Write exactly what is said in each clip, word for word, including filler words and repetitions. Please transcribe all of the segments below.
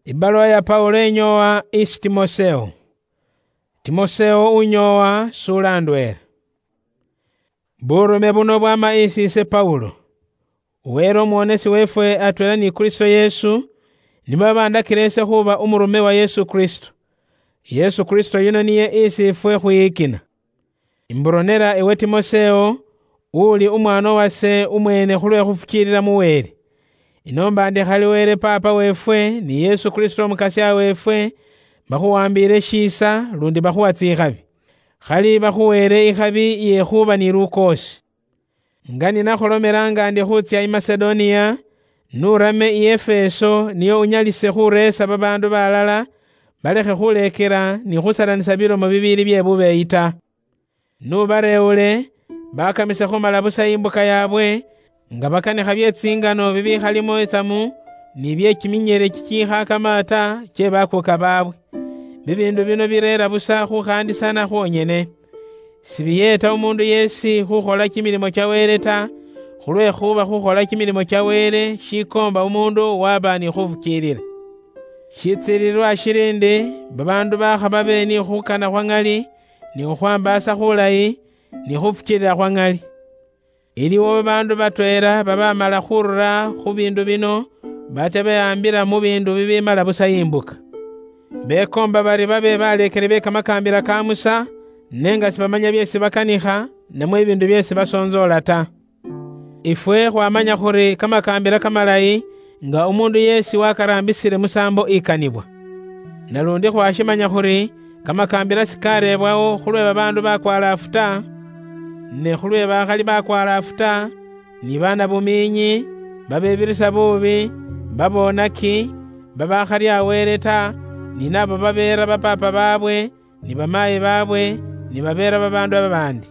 Ibaluwa ya Paulo inyoowa isi Timoseo. Timoseo unyoowa sulandweela. Burume buno bwama isi ise Paulo. Wele umwonesi weefwe atweela ni Kristo Yesu, nibo babandakile ise khuuba umurume wa Yesu Kristo. Yesu Kristo yuno niye isi ifwe khwiyikina. Imburonera ewe Timoseo, uli umwana wase umwene khulwe khufukiilila mu Wele. Inoomba ndi khali Wele Paapa weefwe, ni Yesu Kristo Umukasya weefwe, bakhuwambiile shiisa, lundi bakhuwa tsikhabi. Khali bakhuweele ikhabi iye khuuba ni lukoosi. Nga ninakhulomela nga ndi khutsya i Masedonia, nurame i Efeso, niyo unyalise khureesa babaandu balala, balekhe khuleekela ni khusalanisa bilomo bibiili bye bubeeyi ta. Nubareewule, bakamise khumala busa imbuka yaabwe, nga bakanikha bye tsingano bibikhalimo itsamu, ni bye kiminyele kikiikha kamata kye bakuuka baabwe. Bibiindu bino bireera busa khukhaandisana khwonyene. Sibiyeeta umuundu yeesi khukhola kimilimo kya Wele ta, khulwekhuba khukhola kimilimo kya Wele shikoomba umuundu waba ni khufukiilila. Shitsiililwa shili ndi, babaandu bakha babe ni khukana khwa ŋali, ni khukhwambaasa khulayi, ni khufukiilila khwa ŋali. Iliwo babaandu batweela babamala khurula khu biindu bino, batsya behaambila mu biindu bibimala busa imbuka. Bekoomba bari babe baleekeli be kamakaambila ka Musa, ne nga sibamanya byeesi bakanikha, namwe ibiindu byeesi basoontsoola ta. Ifwe khwamanya khuri kamakaambila kamalayi nga umuundu yeesi wakaraambisile musaambo ikanibwa. Nalundi khwashimanya khuri kamakaambila sikareebwawo khulwe babaandu bakwalaafu ta, ne khulwe bakhali bakwalaafu ta, ni baana bumiinyi, babebirisa buubi, babonaki, babakharya Wele ta, ni nabo babeera bapaapa baabwe, ni bamaayi baabwe, ni babeera babaandu babaandi.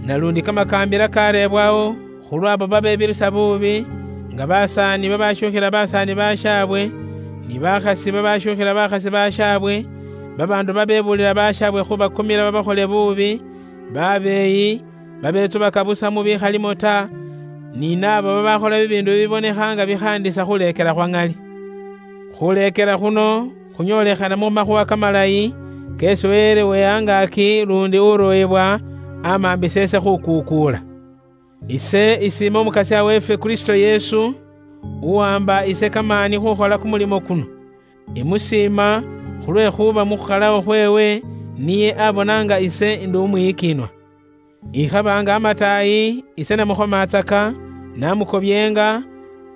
Nalundi kamakaambila kareebwawo khulwabo babebirisa buubi, nga basaani babashukhila basaani bashaabwe, ni bakhasi babashukhila bakhasi bashaabwe, babaandu babebuulila bashaabwe khubakumila babakhole buubi, babeeyi, babetsubaka busa mu bikhalimo ta, ni naabo babakhola bibiindu bibibonekha nga bikhaandisa khuleekela khwa ŋali. Khuleekela khuno khunyoolekhana mu makhuwa kamalayi keesi Wele we angaaki lundi uroyebwa amambisa ise khukuukuula. Ise isiima Umukasya weefwe Kristo Yesu, uwamba ise kamaani khukhola kumulimo kuno. Imusiima khulwekhuba mu khukhalawo khweewe niye abonanga ise ndi umwiyikiinwa. Ikhaba nga amataayi, ise namukhomatsaka, namukobyeenga,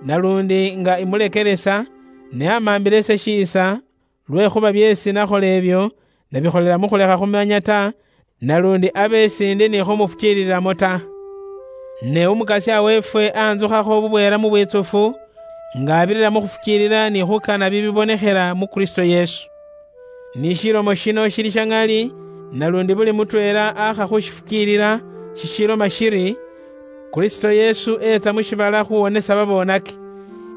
nalundi nga imulekelesa, ne amambile ise shiisa, lwekhuba byeesi nakhola ebyo, nabikholela mu khulekha khumanya ta, nalundi abe sindi ni khumufukiililamo ta. Ne Umukasya weefwe anzukhakho bubweela mu bwitsufu, nga abirira mu khufukiilila ni khukana bibibonekhela mu Kristo Yesu. Ni shilomo shino shili sha ŋali, nalundi buli mutweela akha khushifukiilila, shishiloma shiri, Kristo Yesu etsa mu shibala khuwonesa babonaki.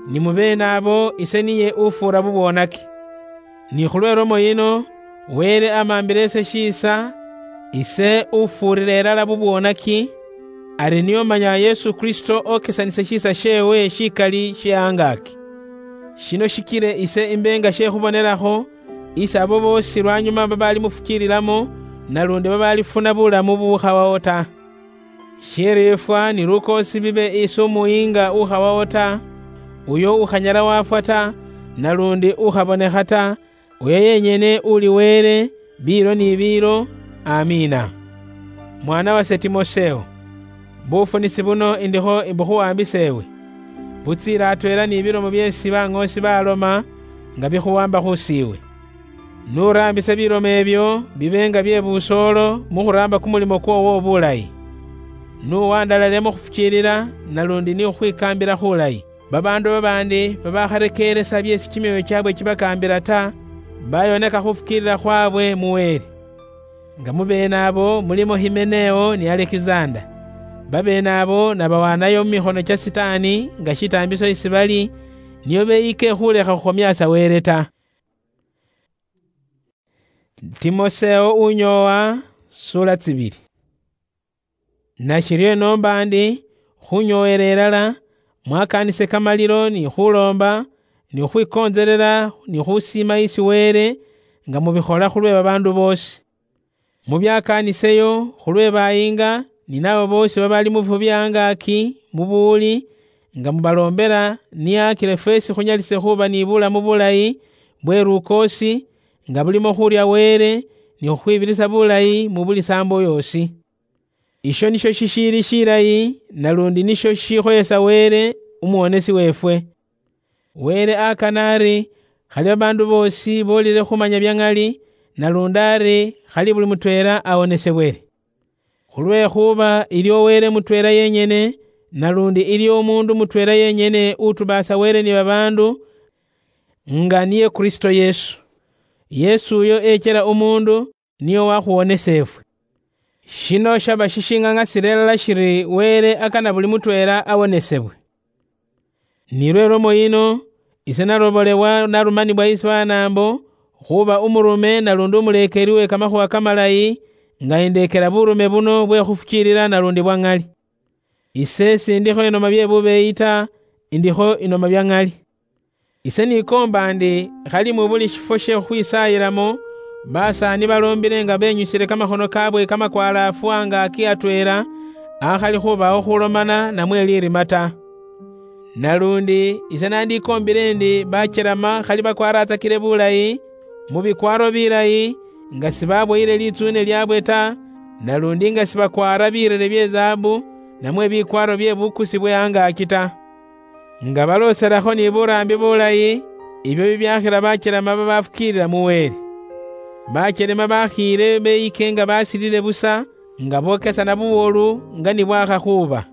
Ni mu beene abo ise niye ufuura bubwonaki. Ni khulwe lomo yino, Wele amambile ise shiisa, ise ufuurira ilala bubwonaki, ari niyo manya Yesu Kristo okesanise shiisa sheewe shikali she angaaki. Shino shikile ise imbe nga she khubonelakho isi abo boosi lwanyuma babaali mufukiililamo, nalundi babaalifuna bulamu bubukhawawo ta. Shiriifwa ni lukoosi bibe isi umuyiinga ukhawawo ta, uyo ukhanyala wafwa ta, nalundi ukhabonekha ta, uyo yenyene uli Wele, biilo ni biilo. Amiina. Mwana wase Timoseo, bufunisi buno indikho imbukhuwambisa ewe, butsiile atweela ni bilomo byeesi baŋoosi baloma nga bikhuwamba khusiiwe. Nuraambise bilomo ebyo bibe nga bye busoolo mu khuraamba kumulimo kwoowo obulayi. Nuwandalale mu khufukiilila, nalundi ni khukhwikaambila khulayi. Babaandu babaandi babakharekeeresa byeesi kimyoyo kyaabwe kibakaambila ta, bayoneka khufukiilila khwaabwe mu Wele. Nga mu beene abo mulimo Himeneo ni Alekisanda. Babeene abo nabawaanayo mu mikhono kya Sitaani nga shitaambiso isi bali, nio beyike khulekha khukhomyaasa Wele ta. Timoseo unyoowa, sura tsibili. Nashiryo enoomba ndi, khunyooyela ilala, mwakaanise kamalilo ni khuloomba, ni khukhwikontselela ni khusiima isi Wele, nga mubikhola khulwe babaandu boosi. Mubyakaaniseyo khulwe bayinga, ni nabo boosi babali mu bifwo bye angaaki mu buwuli, nga mubaloombela, nio akile fweesi khunyalise khuuba ni bulamu bulayi bwe lukoosi, nga bulimo khurya Wele, ni khukhwibirisa bulayi mu buli saambo yoosi. Isho nisho shishiili shilayi, nalundi nisho shishikhoyesa Wele, Umuwonesi weefwe. Wele akana ari, khali babaandu boosi boolile khumanya bya ŋali, nalundi ari, khali buli mutweela awonesebwele. Khulwekhuba iliwo Wele mutweela yenyene, nalundi iliwo umuundu mutweela yenyene utubaasa Wele ni babaandu, nga niye Kristo Yesu. Yesu uyo echela umuundu, niye owakhuwonesa efwe. Shino shaba shishiŋaŋasila ilala shiri Wele akana buli mutweela awonesebwe. Ni lwe lomo yino, ise nalobolebwa narumanibwa isi banaambo, khuba umurume nalundi umuleekeli we kamakhuwa kamalayi, nga indeekela burume buno bwe khufukiilila nalundi bwa ŋali. Ise sindikho inoma bye bubeeyi ta, indikho inoma bya ŋali. Ise nikoomba ndi khali mu buli shifwo she khukhwisaayilamo, basaani baloombile nga benyusile kamakhono kaabwe kamakwalaafu angaaki atweela, akhali khubawo khulomana namwe lirima ta. Nalundi ise nandikoombile ndi bachelama khali bakwaratsakile bulayi, mu bikwaaro bilayi, nga sibaboyile litsuune lyaabwe ta, nalundi nga sibakwaara birere bye zaabu, namwe bikwaaro bye bukusi bwe angaaki ta. Nga balooselakho ni buraambi bulayi, ibyo bibyakhila bachelema babafukiilila mu Wele. Bachelema bakhiile beyike nga basilile busa, nga bokesana buwolu nga ni bwakhakhuuba.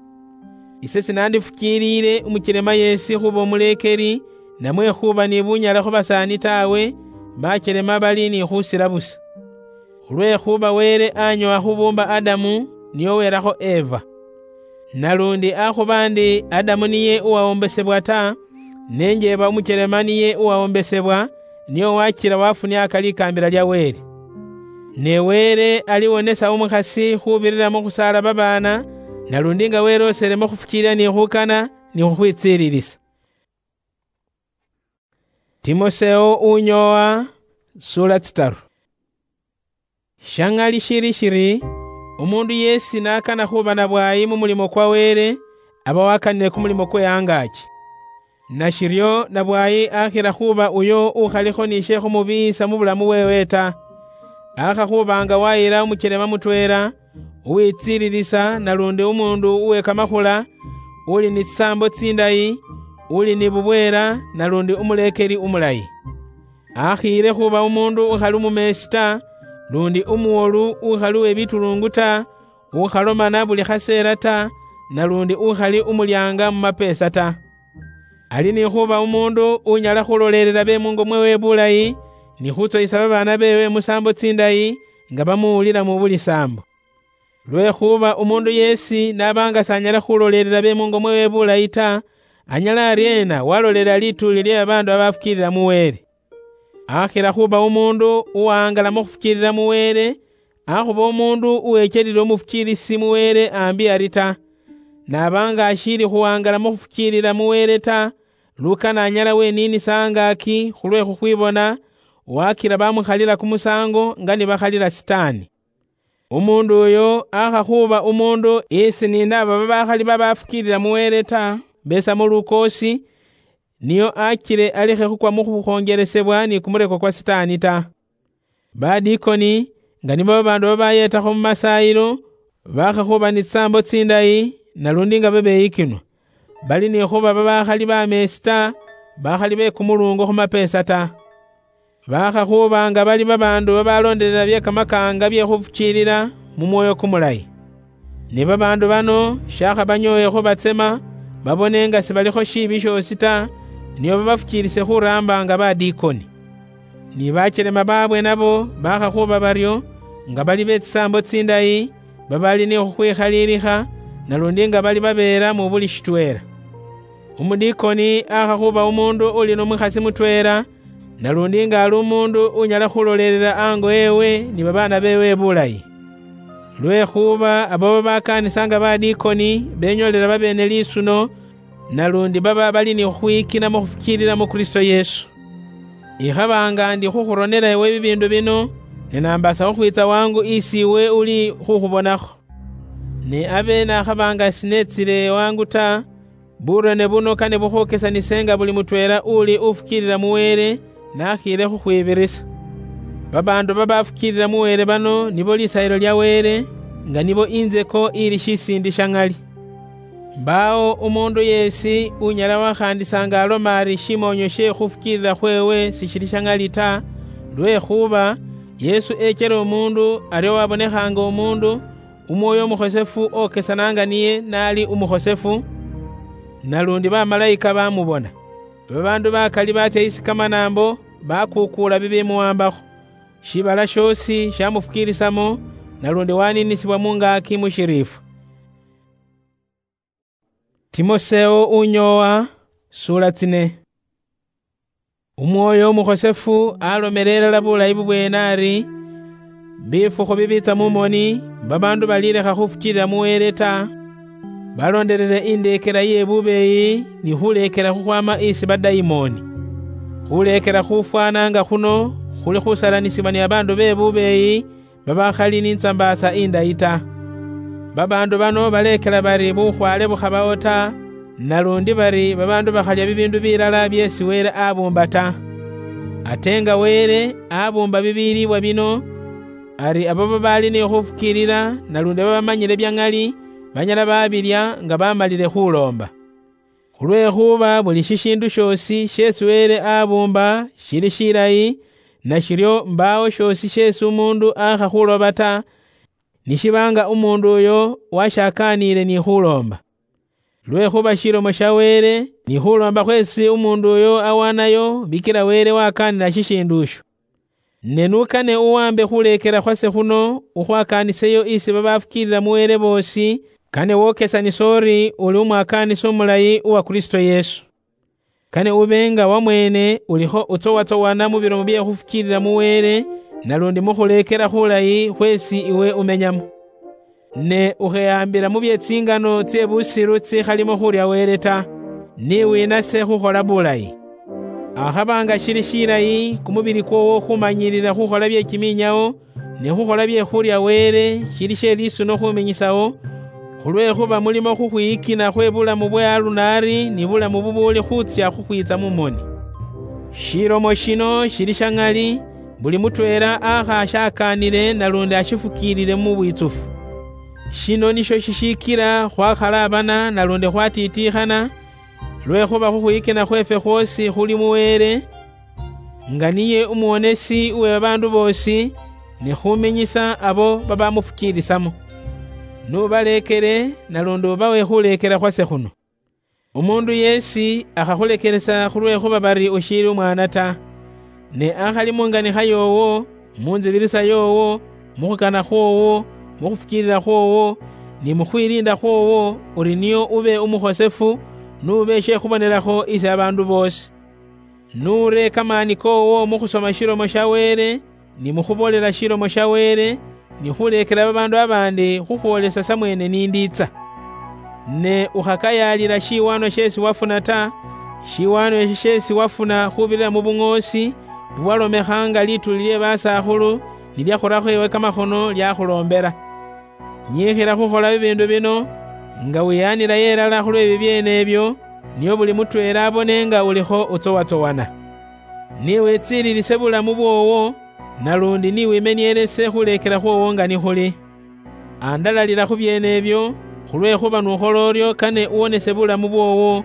Ise sinandifukiilile umuchelema yeesi khuba umuleekeli, namwe khuba ni bunyala khu basaani taawe, bachelema bali ni khusila busa. Khulwekhuba Wele anyowa khubuumba Adamu, niye uwelakho Eva. Nalundi akhuba ndi Adamu niye uwawombesebwa ta, ne njeeba umuchelema niye uwawombesebwa, niye uwachila wafuniaka likaambila lya Wele. Ne Wele aliwonesa umukhasi khubirira mu khusaala babaana, nalundi nga weloosele mu khufukiilila ni khukana ni khukhwitsiililisa. Timoseo unyoowa, sura tsitaru. Sha ŋali shili shiri, umuundu yeesi n'akana khuuba na bwaayi mu mulimo kwa Wele, aba wakanile kumulimo kwe angaaki. Nashiryo na bwaayi akhila khuuba uyo ukhalikho ni she khumubiiyisa mu bulamu bweewe ta. Akha khuuba nga wayila umuchelema mutweela, uwitsiililisa nalundi umuundu uwe kamakhula, uli ni tsisaambo tsindayi, uli ni bubweela nalundi umuleekeli umulayi. Akhiile khuuba umuundu ukhali umumeesi ta, lundi umuwolu ukhali uwe bituluungu ta, ukhalomana buli khaseela ta, nalundi ukhali umulyaanga mu mapeesa ta. Ali ni khuuba umuundu unyala khulolelela be mungo mweewe bulayi, ni khutsoyisa babaana beewe mu saambo tsindayi, nga bamuwulila mu buli saambo. Lwekhuba umuundu yeesi n'aba nga s'anyala khulolelela be mungo mweewe bulayi ta, anyala aryeena walolelela lituuli lye babaandu babafukiilila mu Wele? Akhila khuuba umuundu uwaangala mu khufukiilila mu Wele, akhuba umuundu uwechelile umufukiilisi mu Wele ambi ari ta. N'aba nga ashiili khuwaangala mu khufukiilila mu Wele ta, lukana anyala weniinisa angaaki khulwe khukhwibona, wakila bamukhalila kumusaango nga nibakhalila Sitaani. Umuundu uyo akha khuuba umuundu isi ni naaba babakhali babafukiilila mu Wele ta, beesa mu lukoosi, niyo achile alekhe khukwa mu khukhonjelesebwa ni kumureko kwa Sitaani ta. Badikoni, nga nibo babaandu babayeetakho mu masaayilo, bakha khuuba ni tsisaambo tsindayi, nalundi nga babeyikinwa. Bali ni khuuba babakhali bameesi ta, bakhali be kumuluungo khu mapeesa ta. Bakha khuuba nga bali babaandu babaloondelela bye kamakaanga bye khufukiilila mu Mwoyo Kumulayi. Ne babaandu bano shakhabanyooye khubatsema, babone nga sibalikho shiibi shoosi ta, nio babafukiilise khuraamba nga badikoni. Ni bachelema baabwe nabo bakha khuuba baryo, nga bali be tsisaambo tsindayi, babali ni khukhwikhaliilikha, nalundi nga bali babeera mu buli shitweela. Umudikoni akha khuuba umuundu uli n'omukhasi mutweela, nalundi nga ali umuundu unyala khulolelela ango ewe ni babaana beewe bulayi. Lwekhuba abo babakaanisa nga badikoni benyoolela babeene lisuno, nalundi baba bali ni khukhwikinamo khufukiilila mu Kristo Yesu. Ikhabanga ndi khukhuronela ewe bibiindu bino, ne nambaasa khukhwiitsa wangu isi iwe uli khukhubonakho. Ne abe nakhabanga sinetsile wangu ta, burone buno kane bukhwokesanise nga buli mutweela uli ufukiilila mu Wele nakhiile khukhwibirisa. Babaandu babafukiilila mu Wele bano nibo lisayilo lya Wele, nga nibo inzeko ili shisiindi sha ŋali. Mbaawo umuundu yeesi unyala wakhaandisa nga aloma ari shimoonyo she khufukiilila khweewe sishili sha ŋali ta, lwekhuba Yesu echela umuundu aryo wabonekhaanga umuundu, Umwoyo Umukhosefu okesana nga niye naali umukhosefu, nalundi bamalayika bamubona. Babaandu bakali batsya isi kamanaambo, bakuukuula bibimuwambakho. Shiibala shoosi shamufukiilisamo, nalundi waniinisibwa mungaaki mu shiriifwa. Timoseo unyoowa, suula tsine. Umwoyo Umukhosefu alomela ilala bulayi bubweene ari, bifukhu bibiitsa mu moni, babaandu balilekha khufukiilila mu Wele ta, balondelele indeekela iye bubeeyi ni khuleekela khukhwaama isi badayimooni. Khuleekela khufwaana nga khuno khuli khusalanisibwa ni babaandu be bubeeyi, babakhali ni ntsambaasa indayi ta. Babaandu bano baleekela bari bukhwaale bukhabawo ta, nalundi bari babaandu bakhalya bibiindu bilala byeesi Wele abuumba ta. Ate nga Wele abuumba bibiiliibwa bino, ari abo babaali ni khufukiilila nalundi babamanyile bya ŋali, banyala babilya nga bamalile khuloomba. Khulwekhuba buli shishiindu shoosi sheesi Wele abuumba shili shilayi, nashiryo mbaawo shoosi sheesi umuundu aakha khuloba ta, nishiba nga umuundu uyo washakaaniile ni khuloomba. Lwekhuba shilomo sha Wele, ni khuloomba khweesi umuundu uyo awaanayo, bikila Wele wakaanila shishiindu isho. Ne n'ukane uwambe khuleekela khwase khuno, ukhwakaaniseyo isi babafukiilila mu Wele boosi, kane wokesanise uri uli umwakaanisi umulayi uwa Kristo Yesu. Kane ube nga wamweene ulikho utsowatsowana mu bilomo bye khufukiilila mu Wele, nalundi mu khuleekela khulayi khweesi iwe umenyamo. Ne ukheyambila mu bye tsingano tsye busilu tsikhalimo khurya Wele ta, ni winase khukhola bulayi. Akhaba nga shili shilayi kumubili kwoowo khumanyilila khukhola bye kiminyawo, ne khukhola bye khurya Wele shili she lisuno khuminyisawo, khulwekhuba mulimo khukhwiyikina khwe bulamu bwe alunaari ni bulamu bubuuli khutsya khukhwiitsa mu moni. Shilomo shino shili sha ŋali, buli mutweela akhashakaanile nalundi ashifukiilile mu bwitsufu. Shino nisho shishikila khwakhalaabana nalundi khwatiitiikhana, lwekhuba khukhwiyikina khweefwe khwoosi khuli mu Wele, nga niye umuwonesi uwe babaandu boosi, ni khuminyisa abo babamufukiilisamo. N'ubaleekele, nalundi ubawe khuleekela khwase khuno. Umuundu yeesi akhakhulekhelesa khulwekhuba bari ushiili umwaana ta, ne akhali mu nganikha yoowo, mu nzibilisa yoowo, mu khukana khwoowo, mu khufukiilila khwoowo, ni mu khwiliinda khwoowo, uri nio ube umukhosefu, n'ube she khubonelakho isi babaandu boosi. N'ure kamaani koowo mu khusoma shilomo sha Wele, ni mu khuboolela shilomo sha Wele, ni khuleekela babaandu babaandi khukhwoolesa samweene nindiitsa. Ne ukhakayaalila shiwaanwa sheesi wafuna ta, shiwaanwa esho sheesi wafuna khubirira mu buŋoosi bubwalomekha nga lituuli lye basakhulu ni lya khurakho ewe kamakhono lyakhuloombela. Nyiikhila khukhola bibiindu bino, nga wiyaanilayo ilala khulwe bibyeene ebyo, nio buli mutweela abone nga ulikho utsowatsowana. Ni witsiililise bulamu bwoowo, nalundi ni wimenielese khuleekela khwoowo nga nikhuli. Andalalila khu byeene ebyo, khulwekhuba n'ukhola uryo kane uwonese bulamu bwoowo,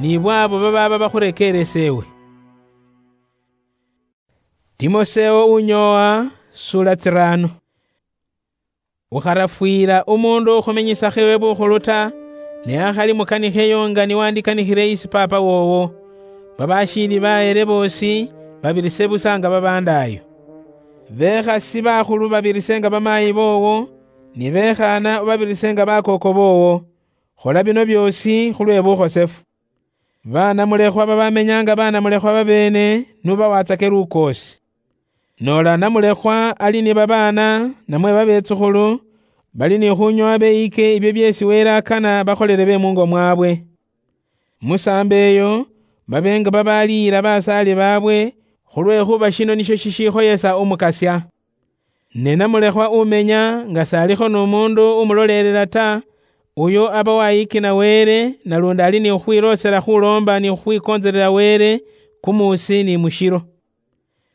ni bw'abo babaaba bakhurekeeresa ewe. Timoseo unyoowa, sula tsiraano. Ukharafwiila umuundu ukhuminyisakho iwe bukhulu ta, ne akhali mukanikheyo nga niwandikanikhile isi paapa woowo. Babashiili bahere boosi babirise busa nga babandaayo. Bekhasi bakhulu babirise nga bamaayi boowo, ni bekhaana babirise nga bakooko boowo. Khola bino byoosi khulwe bukhosefu. Banamulekhwa babamenya nga banamulekhwa babeene, nubawatsake lukoosi. Noola namulekhwa ali ni babaana, namwe babetsukhulu, bali ni khunyoowa beyike ibyo byeesi Wele akana bakholele be mungo mwaabwe. Musaambo eyo, babe nga babaaliyira basaali baabwe, khulwekhuba shino nisho shishikhoyesa Umukasya. Ne namulekhwa umenya nga salikho nomundu umulolelela ta, uyo aba wayikina Wele, nalundi ali ni khukhwiloosela khuloomba ni khukhwikontselela Wele kumuusi ni mushilo.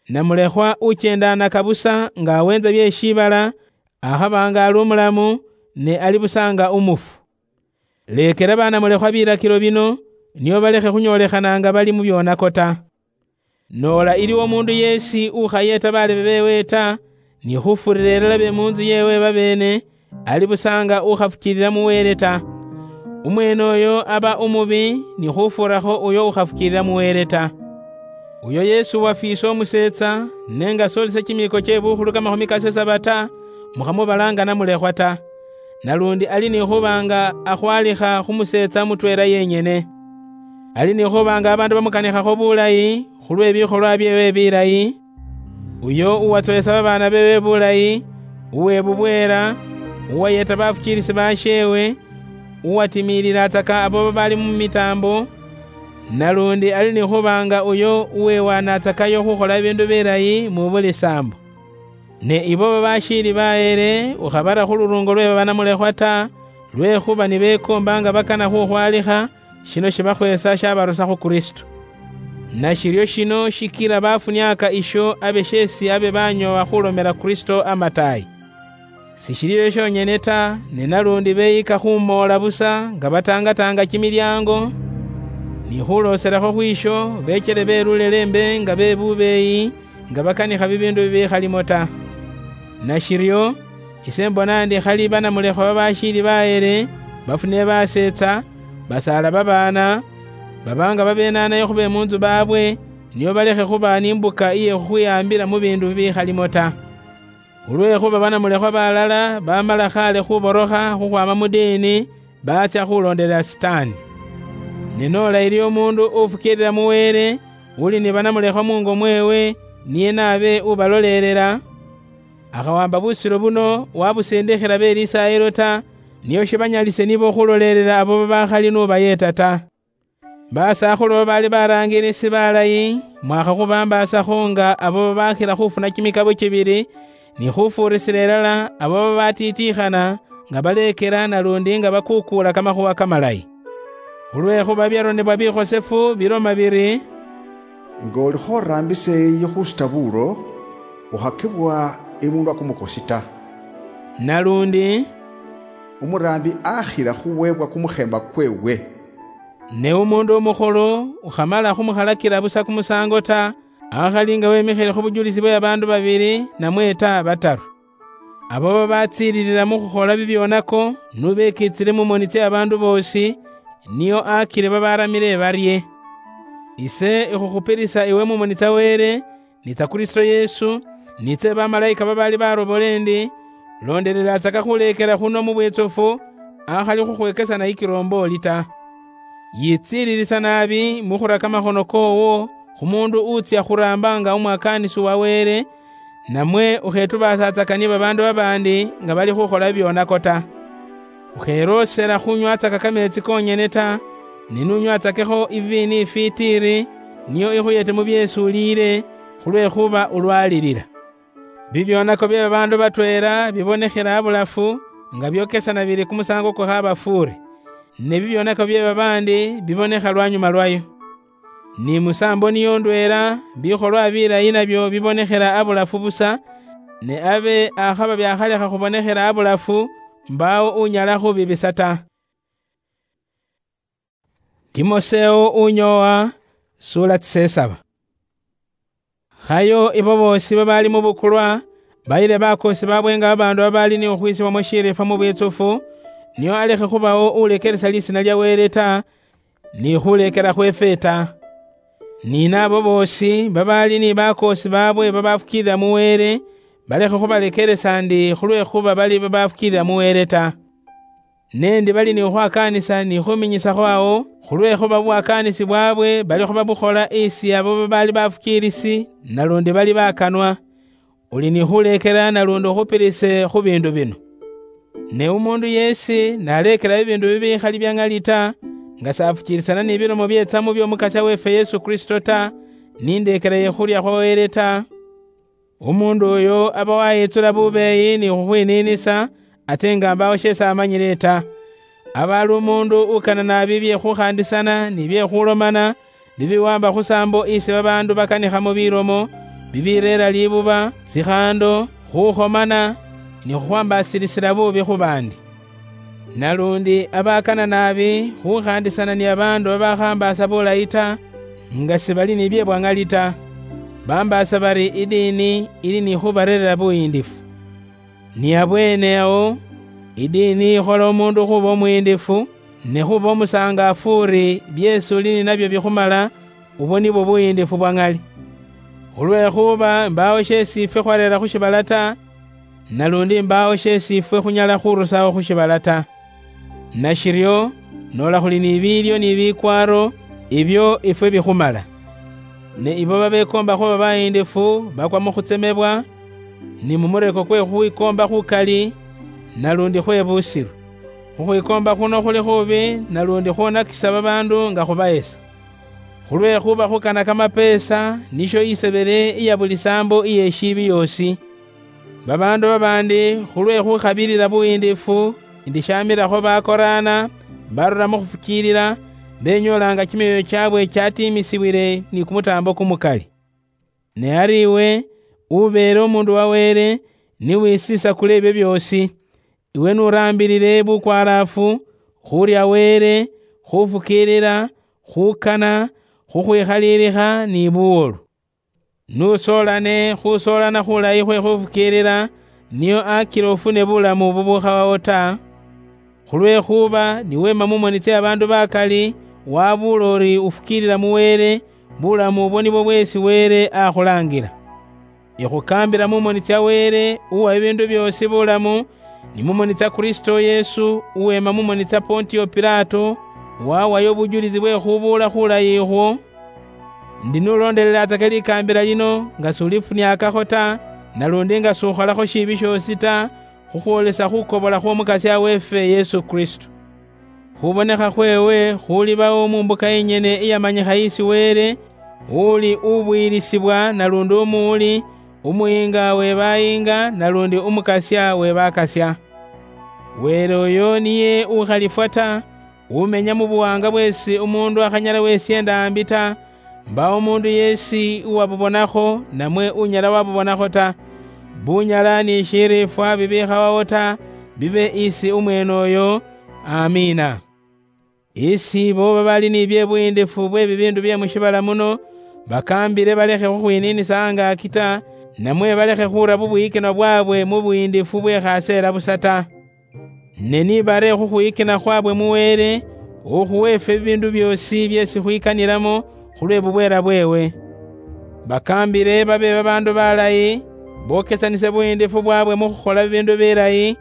Namulekhwa uchendaanaka busa nga awenza bye shiibala, akhaba nga ali umulamu, ne ali busa nga umufu. Lekela banamulekhwa bilakilo bino, nio balekhe khunyoolekhana nga bali mu byonako ta. Noola iliwo omundu yeesi ukhayeeta baalebe beewe ta, ni khufurira ilala be mu ntsu yeewe babeene, ali busa nga ukhafukiilila mu Wele ta. Umweene oyo aba umubi ni khufuurakho uyo ukhafukiilila mu Wele ta. Uyo yeesi uwafiisa umuseetsa, ne nga soolisa kimiiko kye bukhulu kamakhumi kasesaba ta, mukhamubala nga namulekhwa ta. Nalundi ali ni khuba nga akhwalikha khu museetsa mutweela yenyene. Ali ni khuba nga babaandu bamukanikhakho bulayi khulwe bikholwa byeewe bilayi, uyo uwatsoyesa babaana beewe bulayi, uwe bubweela, uwayeeta bafukiilisi basheewe, uwatimiililatsaka abo babaali mu mitaambo, nalundi ali ni khuba nga uyo uwewaanatsakayo khukhola biindu bilayi mu buli saambo. Ne ibo babashiili baheele, ukhabara khu luruungo lwe babanamulekhwa ta, lwekhuba nibekoomba nga bakana khukhwalikha, shino shibakhweesa shabarusa khu Kristo. Nashiryo shino shikila bafuniaka isho abe sheesi abe banyoowa khulomela Kristo amataayi. Sishili esho shonyene ta, ne nalundi beyika khumoola busa nga batangatanga kimilyango, ni khulooselakho khwisho bechele belulele mbe nga be bubeeyi, nga bakanikha bibiindu bibikhalimo ta. Nashiryo, ise mbona ndi khali banamulekhwa babashiili baheele, bafune baseetsa, basaala babaana, baba nga babeenaanayo khu be mu ntsu baabwe, nio balekhe khuba ni mbuka iye khukhwihaambila mu biindu bibikhalimo ta. Khulwekhuba banamulekhwa balala bamala khale khuborokha khukhwama mu diini, baatsya khulondelela Sitaani. Ne noola ili omuundu ufukiilila mu Wele, uli ni banamulekhwa mungo mweewe, niye naabe ubalolelela, akhawamba busiro buno wabusindikhila be Lisaayilo ta, nio shibanyalise nibo khulolelela abo babakhali n'ubayeeta ta. Basakhulu babaali baraangilisi balayi, mwakha khubambaasakho nga abo babakhila khufuna kimikabo kibili, ni khufuurisila ilala abo babatitiikhana, nga baleekela nalundi nga bakukuula kamakhuwa kamalayi. Khulwekhuba byaronebwa bikhosefu biloma biri, "Nga oli khoraambisa eyi khusuta buulo, ukhakebwa imunwa kumukosi ta." Nalundi, "Umuraambi akhila khuweebwa kumukheemba kweewe." Ne umuundu umukhulu ukhamala khumukhalakila busa kumusaango ta, akhali nga wemikhile khu bujulisi bwe babaandu babili namwe ta bataru. Abo babatsiililila mu khukhola bibyonako, n'ubekiitsile mu moni tsya babaandu boosi, nio akile babaaramile barye. Ise ikhukhupilisa iwe mu moni tsya Wele, ni tsya Kristo Yesu, ni tsye bamalaika babaali barobole ndi, loondelelatsaka khuleekela khuno mu bwitsufu, akhali khukhwekesana ikilombooli ta. Yitsiililisa naabi mu khura kamakhono koowo khu muundu utsya khuraamba nga umwakaanisi wa Wele, namwe ukhetubaasaatsaka ni babaandu babaandi nga bali khukhola bibyonako ta. Ukheloosela khunywatsaka kameetsi koonyene ta, ne n'unywatsakekho iviini ifitiiri, niyo ikhuyete mu byeesi uliile, khulwekhuba ulwaalilila. Bibyonako bye babaandu batweela bibonekhela abulafu, nga byokesana biri kumusaango kukhabafuure, ne bibyonako bye babaandi bibonekha lwanyuma lwayo. Ni musaambo niyo ndweela, bikholwa bilayi nabyo bibonekhela abulafu busa, ne abe akhaba byakhalekha khubonekhela abulafu, mbaawo unyala khubibisa ta. Timoseo unyoowa, sula tsisesaba. Khayo ibo boosi babaali mu bukulwa, bayile bakoosi baabwe nga babaandu babaali ni khukhwiisibwamo shiriifwa mu bwitsufu, nio alekhe khubawo ulekeresa lisiina lya Wele ta, ni khulekela khweefwe ta. Ni naabo boosi babaali ni bakoosi baabwe babafukiilila mu Wele, balekhe khubalekeresa ndi khulwekhuba bali babafukiilila mu Wele ta. Ne ndi bali ni khukhwakaanisa ni khuminyisakho awo, khulwekhuba bubwakaanisi bwaabwe balikho babukhola isi abo babaali bafukiilisi, nalundi bali bakanwa. Uli ni khuleekela nalundi ukhupirise khu biindu bino. Ne umuundu yeesi naleekela bibiindu bibikhali bya ŋali ta, nga safuchirisana ni bilomo byetsamu by'Omukasya weefwe Yesu Kristo ta, ni ndeekera ye khurya khwa Wele ta, umundu uyo aba wayitsula bubeeyi ni khukhwiniinisa, ate nga mbaawo sheesi amanyile ta. Aba ali umundu ukana naabi bye khukhandisana ni bye khulomana, bibiwaamba khu saambo isi babaandu bakanikhamo bilomo, bibireera libuba, tsikhaando, khukhomana, ni khukhwambaasirisila buubi khu baandi. Nalundi abakana naabi khukhandisana ni babaandu babakhambaasa bulayi ta, nga sibali ni bye bwa ŋali ta, bambaasa bari idiini ili ni khubareerera buyiindifu. Ni abweene awo, idiini ikhola omuundu khuba omuyiindifu, ne khuba omusangaafu uri byeesi uli ni nabyo bikhumala, ubwo nibwo buyiindifu bwa ŋali. Khulwekhuba mbaawo sheesi ifwe khwareera khu shiibala ta, nalundi mbaawo sheesi ifwe khunyala khurusawo khu shiibala ta. Nashiryo, noola khuli ni biilyo ni bikwaaro, ibyo ifwe bikhumala. Ne ibo babekoomba khuba bayiindifu bakwa mu khutsemebwa, ni mu mureko kwe khukhwikoomba khukali, nalundi khwe busiro. Khukhwikoomba khuno khuli khubi, nalundi khwonakisa babaandu nga khubayesa. Khulwekhuba khukana kamapeesa nisho isebele iya buli saambo iye shiibi yoosi. Babaandu babaandi khulwe khukhabirira buyiindifu, ndi shaamirakho bakoraana, barura mu khufukiirira, benyoolanga kimyoyo kyaabwe kyatiimisibwile ni kumutaambo kumukali. Ne ari iwe, ubeele omuundu wa Wele, ni wisisakule ebyo byoosi. Iwe n'uraambilile bukwaraafu, khurya Wele, khufukiilila, khukana, khukhwikhaliilikha ni buwolu. N'usoolane khusoolana khulayi khwe khufukiilila, nio akila ofune bulamu bubukhawawo ta. Khulwekhuba niweema mu moni tsia baandu bakali, wabuula uri ufukiilila mu Wele, bulamu obwo nibwo bweesi Wele akhulaangila. Ikhukaambila mu moni tsia Wele, uwa bibiindu byoosi bulamu, ni mu moni tsia Kristo Yesu, uweema mu moni tsia Pontio Pilato, wawayo obujulizi bwe khubuula khulayi ikhwo, ndi n'uloondelelatsaka likaambila lino nga s'ulifuniakakho ta, nalundi nga s'ukholakho shiibi shoosi ta, khukhwoolesa khukobola khw'Omukasya weefwe Yesu Kristo. Khubonekha khweewe khulibawo mu mbuka yenyene iyamanyikha isi Wele, uli ubwiilisibwa nalundi umuwuli, umuyiinga we bayiinga nalundi Umukasya we bakasya. Wele uyo niye ukhalifwa ta, umenya mu buwaanga bweesi umuundu akhanyala wesyeenda ambi ta, mbaawo umuundu yeesi uwabubonakho, namwe unyala wabubonakho ta. Bunyala ni shiriifwa bibikhawawo ta, bibe isi umweene uyo. Amiina. Isi ibo babali ni bye buyiindifu bwe bibiindu bye mu shiibala muno, bakaambile balekhe khukhwiniinisa angaaki ta, namwe balekhe khuura bubwiyikinwa bwaabwe mu buyiindifu bwe khaseela busa ta. Ne nibare khukhwiyikina khwabwe mu Wele, ukhuwa ifwe bibiindu byoosi byeesi khwikanilamo khulwe bubweela bweewe. Bakaambile babe babaandu balayi, bokesanise buyiindifu bwaabwe mu khukhola bibiindu bilayi,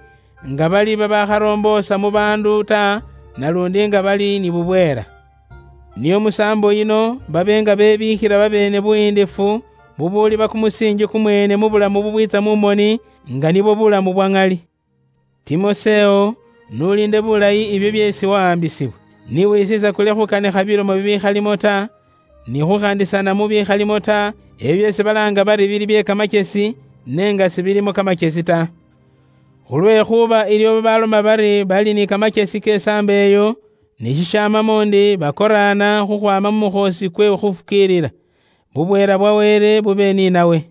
nga bali babakharoomboosa mu baandu ta, nalundi nga bali ni bubweela. Nio mu saambo yino babe nga bebiikhila babeene buyiindifu bubuuliba kumusiinji kumweene mu bulamu bubwiitsa mu moni, nga nibwo bulamu bwa ŋali. Timoseo, n'uliinde bulayi ibyo byeesi wawambisibwa, ni wisiisa kule khukanikha bilomo bibikhalimo ta, ni khukhandisana mu bikhalimo ta, ebyo byeesi balaanga bari bili bye kamachesi, ne nga sibilimo kamachesi ta. Khulwekhuba ilyo babaloma bari bali ni kamachesi ke saambo eyo, ni shishamamo ndi bakoraana khukhwama mu mukhoosi kwe khufukiilila. Bubweela bwa Wele bube ni nawe.